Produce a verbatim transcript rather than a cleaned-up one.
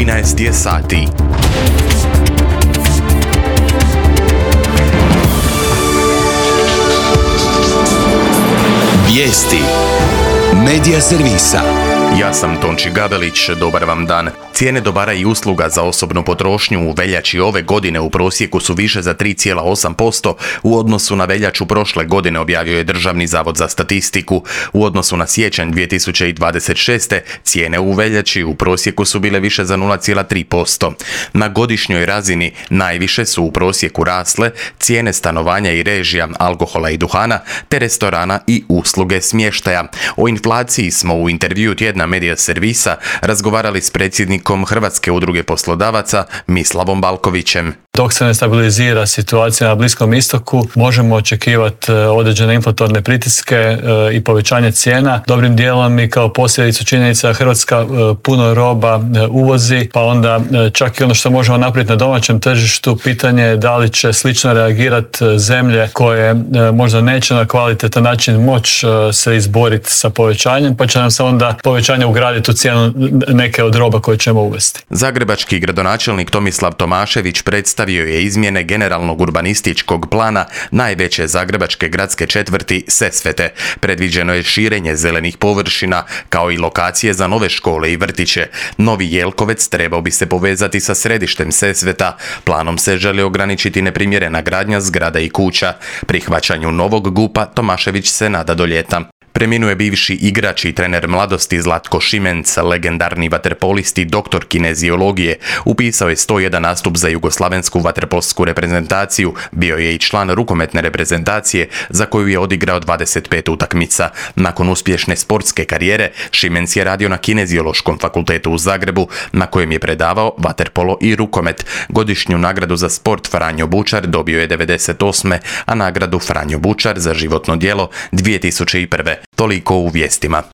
trinaest je sati. Vijesti Medija servisa. Ja sam Tonči Gabelić, dobar vam dan. Cijene dobara i usluga za osobnu potrošnju u veljači ove godine u prosjeku su više za tri zarez osam posto u odnosu na veljaču prošle godine, objavio je Državni zavod za statistiku. U odnosu na siječanj dvije tisuće dvadeset šeste. cijene u veljači u prosjeku su bile više za nula zarez tri posto. Na godišnjoj razini najviše su u prosjeku rasle cijene stanovanja i režija, alkohola i duhana, te restorana i usluge smještaja. O inflaciji smo u intervjuu tjedna Medija servisa razgovarali s predsjednikom Hrvatske udruge poslodavaca Mislavom Balkovićem. Dok se ne stabilizira situacija na Bliskom istoku, možemo očekivati određene inflatorne pritiske i povećanje cijena. Dobrim dijelom i kao posljedicu činjenica Hrvatska puno roba uvozi, pa onda čak i ono što možemo napraviti na domaćem tržištu, pitanje je da li će slično reagirati zemlje koje možda neće na kvalitetan način moći se izboriti sa povećanjem, pa će nam se onda povećanje ugraditi u cijenu neke od roba koje ćemo uvesti. Zagrebački gradonačelnik Tomislav Tomašević predstavio je izmjene generalnog urbanističkog plana najveće zagrebačke gradske četvrti Sesvete. Predviđeno je širenje zelenih površina kao i lokacije za nove škole i vrtiće. Novi Jelkovec trebao bi se povezati sa središtem Sesveta. Planom se želi ograničiti neprimjerena gradnja zgrada i kuća. Prihvaćanju novog gupa Tomašević se nada do ljeta. Preminuo je bivši igrač i trener mladosti Zlatko Šimenc, legendarni vaterpolist i doktor kineziologije. Upisao je sto jedan nastup za jugoslavensku vaterpolsku reprezentaciju, bio je i član rukometne reprezentacije za koju je odigrao dvadeset pet utakmica. Nakon uspješne sportske karijere, Šimenc je radio na Kineziološkom fakultetu u Zagrebu, na kojem je predavao vaterpolo i rukomet. Godišnju nagradu za sport Franjo Bučar dobio je devedeset osme. a nagradu Franjo Bučar za životno djelo dvije tisuće prve. Toliko u vijestima.